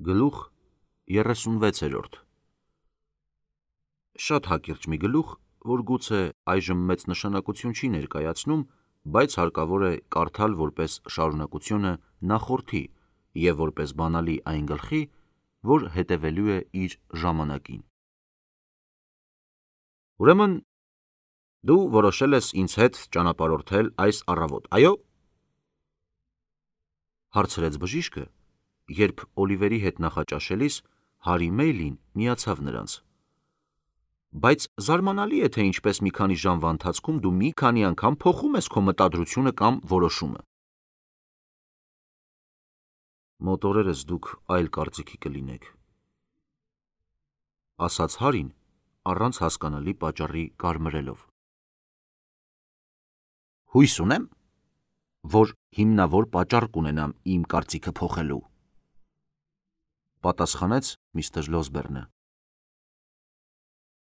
Գլուխ 36 Շատ հակիրճ մի գլուխ, որ գուցե այժմ մեծ նշանակություն չի ներկայացնում, բայց հարկավոր է կարդալ որպես շարունակությունը նախորդի և որպես բանալի այն գլխի, որ հետևելու է իր ժամանակին։ Ուրեմն դու որոշել ես ինձ հետ ճանապարհորդել այս առավոտ, այո՞։ Հարցրեց բժիշկը, երբ Օլիվերի հետ նախաճաշելիս Հարի Մեյլին միացավ նրանց։ Բայց զարմանալի է, թե ինչպես մի քանի ժամվա ընթացքում դու մի քանի անգամ փոխում ես քո մտադրությունը կամ որոշումը։ Մոտ օրերս դուք այլ կարծիքի կլինեք, ասաց Հարին առանց հասկանալի պատճառի կարմրելով։ Հույս ունեմ, որ հիմնավոր պատճառ կունենամ իմ կարծիքը փոխելու, պատասխանեց միստր Լոսբերնը։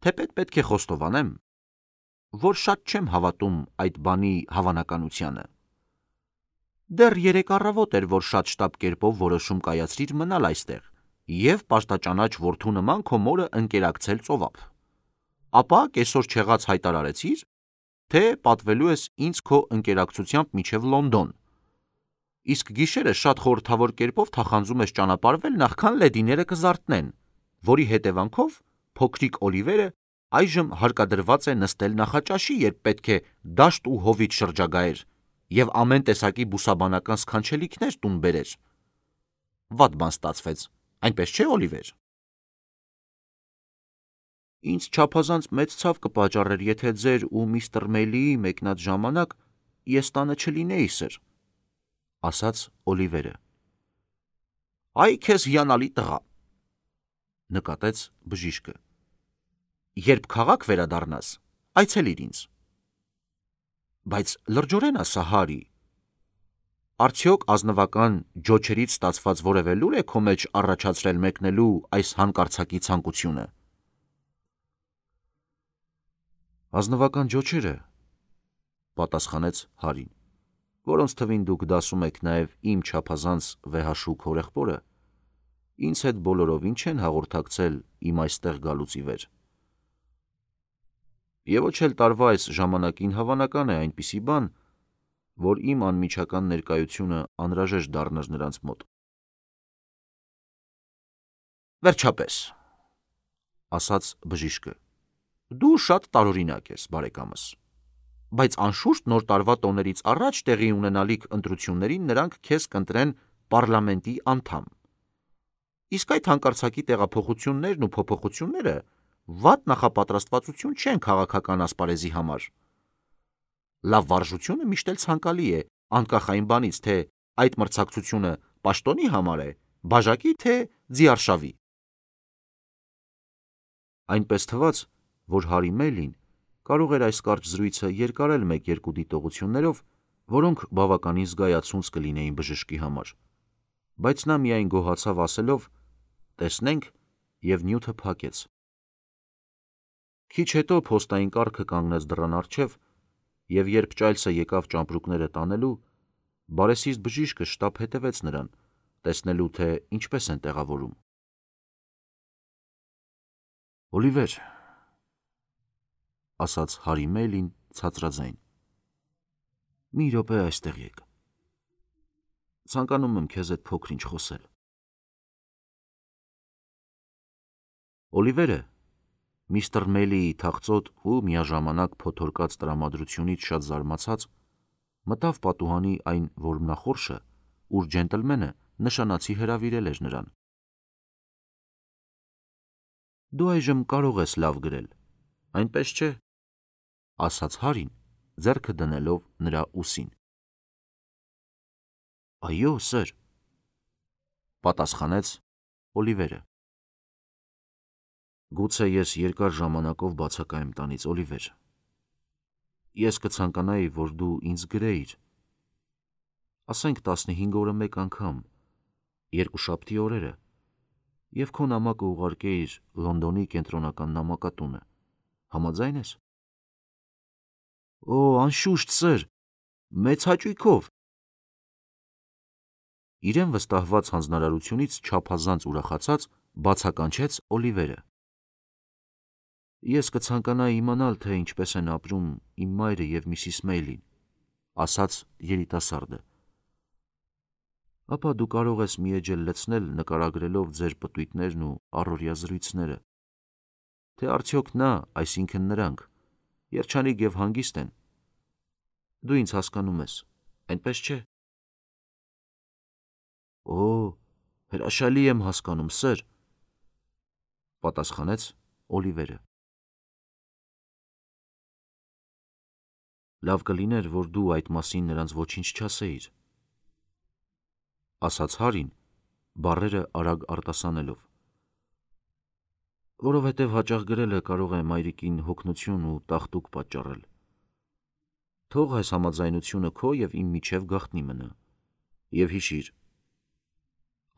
Թեպետ պետք է խոստովանեմ, որ շատ չեմ հավատում այդ բանի հավանականությանը։ Դեռ 3 առավոտ էր, որ շատ շտապ կերպով որոշում կայացրիր մնալ այստեղ և պաշտաճանաչ որդու նման քո մորը ընկերակցել ծովափ։ Ապա կեսօր չեղած հայտարարեցիր, թե պատվելու ես ինձ քո ընկերակցությամբ մինչև Լոնդոն, իսկ գիշերը շատ խորհրդավոր կերպով թախանձում ես ճանապարհվել, նախքան լեդիները կզարթնեն, որի հետևանքով փոքրիկ Օլիվերը այժմ հարկադրված է նստել նախաճաշի, երբ պետք է դաշտ ու հովիտ շրջագայեր և ամեն տեսակի բուսաբանական սքանչելիքներ տուն բերեր։ Վատ բան ստացվեց, այնպես չէ, Օլիվեր։ Ինձ չափազանց մեծ ցավ կպատճառեր, եթե ձեր ու միստր Մեյլիի մեկնած ժամանակ ես տանը չլինեի, սըր, ասաց Օլիվերը։ Այ քեզ հիանալի տղա, նկատեց բժիշկը։ Երբ քաղաք վերադառնաս, այցելիր ինձ։ Բայց լրջորեն ասա, Հարի, արդյոք ազնվական ջոչերից ստացված որևէ լուր է քո մեջ առաջացրել մեկնելու այս հանկարծակի ցանկությունը։ Ազնվական ջոչերը, պատասխանեց Հարին, որոնց թվին դուք դասում եք նաև իմ չափազանց վեհաշուք հորեղբորը, ինձ հետ բոլորովին չեն հաղորդակցել իմ այստեղ գալուց ի վեր։ Եվ ոչ էլ տարվա այս ժամանակին հավանական է այնպիսի բան, որ իմ անմիջական ներկայությունը անհրաժեշտ դառնար նրանց մոտ։ Վերջապես, ասաց բժիշկը, դու շատ տարօրինակ ես, բարեկամս, բայց անշուշտ նոր տարվա տոներից առաջ տեղի ունենալիք ընտրություններին նրանք քեզ կընտրեն պառլամենտի անդամ։ Իսկ այդ հանկարծակի տեղափոխություններն ու փոփոխությունները վատ նախապատրաստվածություն չեն քաղաքական ասպարեզի համար։ Լավ վարժությունը միշտ էլ ցանկալի է, անկախ այն բանից, թե այդ մրցակցությունը պաշտոնի համար է, բաժակի, թե ձիարշավի։ Այնպես թվաց, որ Հարի Մեյլին կարող էր այս կարճ զրույցը երկարել 1-2 դիտողություններով, որոնք բավականին զգայացունց կլինեին բժշկի համար, բայց նա միայն գոհացավ ասելով. տեսնենք, և նյութը փակեց։ Քիչ հետո փոստային կառքը կանգնեց դռան առջև, և երբ ճայլսը եկավ ճամպրուկները տանելու, բարեսիրտ բժիշկը շտապ հետևեց նրան, տեսնելու, թե ինչպես են տեղավորում։ Օլիվեր, ասաց Հարի Մեյլին ցածրաձայն, մի րոպե այստեղ եկ։ Ցանկանում եմ քեզ հետ փոքր-ինչ խոսել։ Օլիվերը, միստր Մեյլիի թախծոտ ու միաժամանակ փոթորկած տրամադրությունից շատ զարմացած, մտավ պատուհանի այն որմնախորշը, ուր ջենտլմենը նշանացի հրավիրել էր նրան։ Դու այժմ կարող ես լավ գրել, այնպես չէ, ասաց Հարին, ձեռքը դնելով նրա ուսին։ Այո, սըր, պատասխանեց Օլիվերը։ Գուցե ես երկար ժամանակով բացակայեմ տանից, Օլիվեր։ Ես կցանկանայի, որ դու ինձ գրեիր, ասենք 15 օրը մեկ անգամ, երկուշաբթի օրերը, և քո նամակը ուղարկեիր Լոնդոնի կենտրոնական նամակատունը, համաձայն ես։ Օ, անշուշտ, սըր, մեծ հաճույքով։ Իրեն վստահված հանձնարարությունից չափազանց ուրախացած բացականչեց Օլիվերը։ Ես կցանկանայի իմանալ, թե ինչպես են ապրում իմ մայրը և Միսիս Մեյլին, ասաց երիտասարդը։ Ապա դու կարող ես մի էջել լցնել նկարագրելով ձեր պտույտներն ու առօրյա զրույցները, թե արդյոք նա, այսինքն նրանք, երջանիկ և հանգիստ են։ Դու ինձ հասկանում ես, այնպես չէ։ Օ, հրաշալի եմ հասկանում, սըր, պատասխանեց Օլիվերը։ Լավ կլիներ, որ դու այդ մասին նրանց ոչինչ չասեիր, ասաց Հարին, բառերը արագ արտասանելով, որովհետև հաճախ գրելը կարող է մայրիկին հոգնություն ու տաղտուկ պատճառել։ Թող այս համաձայնությունը քո և իմ միջև գաղտնի մնա, և հիշիր,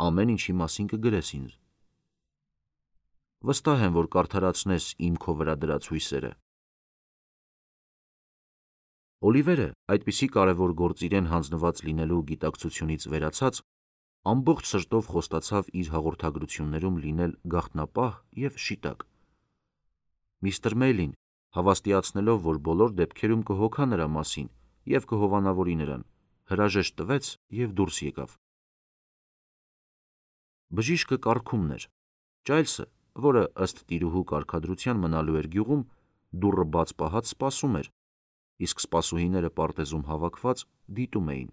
ամեն ինչի մասին կգրես ինձ։ Վստահ եմ, որ կարդարացնես իմ քո վրա դրած հույսերը։ Օլիվերը, այդպիսի կարևոր գործ իրեն հանձնված լինելու գիտակցությունից վերացած, ամբողջ սրտով խոստացավ իր հաղորդագրություններում լինել գաղտնապահ և շիտակ։ Միսթր Մեյլին, հավաստիացնելով, որ բոլոր դեպքերում կհոգա նրա մասին և կհովանավորի նրան, հրաժեշտ տվեց և դուրս եկավ։ Բժիշկը կառքումն էր։ Ճայլսը, որը ըստ տիրուհու կարգադրության մնալու էր գյուղում, դուռը բաց պահած սպասում էր, իսկ սպասուհիները պարտեզում հավաքված դիտում էին։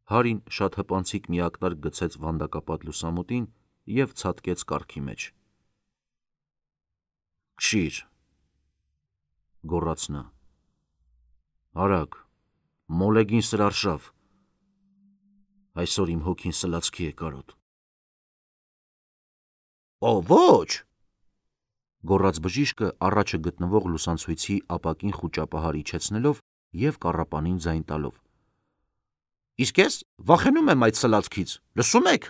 Հարին շատ հպանցիկ մի ակնարկ գցեց վանդակապատ լուսամուտին և ցատկեց կառքի մեջ։ Քշիր, գոռաց նա։ Արագ, մոլեգին սրարշավ։ Այսօր իմ հոգին սլացքի է կարոտ։ Օ, ոչ, գոռաց բժիշկը առաջը գտնվող լուսանցույցի ապակին խուճապահար իջեցնելով և կառապանին ձայն տալով։ Իսկ ես վախենում եմ այդ սլացքից, լսում եք։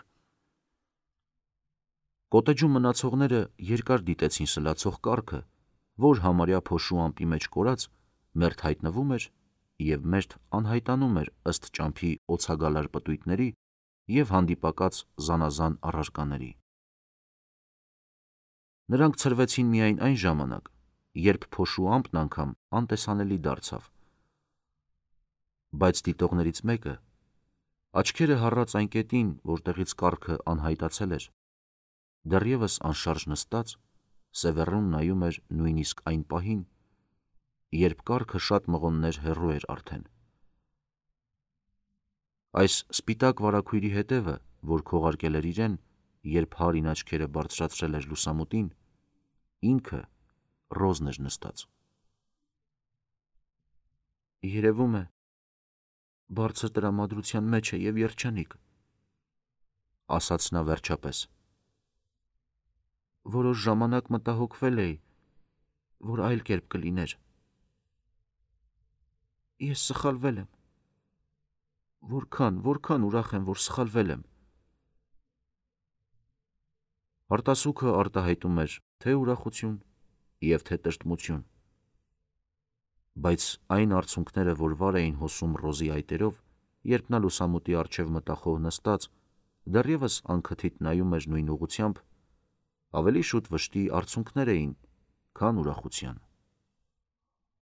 Կոտեջում մնացողները երկար դիտեցին սլացող կառքը, որ համարյա փոշու ամպի մեջ կորած մերթ հայտնվում էր և մերթ անհայտանում էր ըստ ճամփի օձագալար պտույտների և հանդիպակաց զանազան առարկաների։ Նրանք ցրվեցին միայն այն ժամանակ, երբ փոշու ամպն անգամ անտեսանելի դարձավ։ Բայց դիտողներից մեկը, աչքերը հառած այն կետին, որտեղից կառքը անհայտացել էր, դեռևս անշարժ նստած, սևեռուն նայում էր նույնիսկ այն պահին, երբ կառքը շատ մղոններ հեռու էր արդեն։ Այս սպիտակ վարագույրի հետևը, որ քողարկել էր իրեն, երբ Հարին աչքերը բարձրացրել էր լուսամուտին, ինքը Ռոզն էր նստած։ Երևում է, բարձր տրամադրության մեջ է և երջանիկ, ասաց նա վերջապես։ Որոշ ժամանակ մտահոգվել էի, որ այլ կերպ կլիներ։ Ես սխալվել եմ։ Որքան ուրախ եմ, որ սխալվել եմ։ Արտասուքը արտահայտում էր թե ուրախություն և թե տրտմություն։ Բայց այն արցունքները, որ վար էին հոսում Ռոզի այտերով, երբ նա լուսամուտի առջև մտախոհ նստած, դեռևս անքթիթ նայում էր նույն ուղղությամբ, ավելի շուտ վշտի արցունքներ էին, քան ուրախության։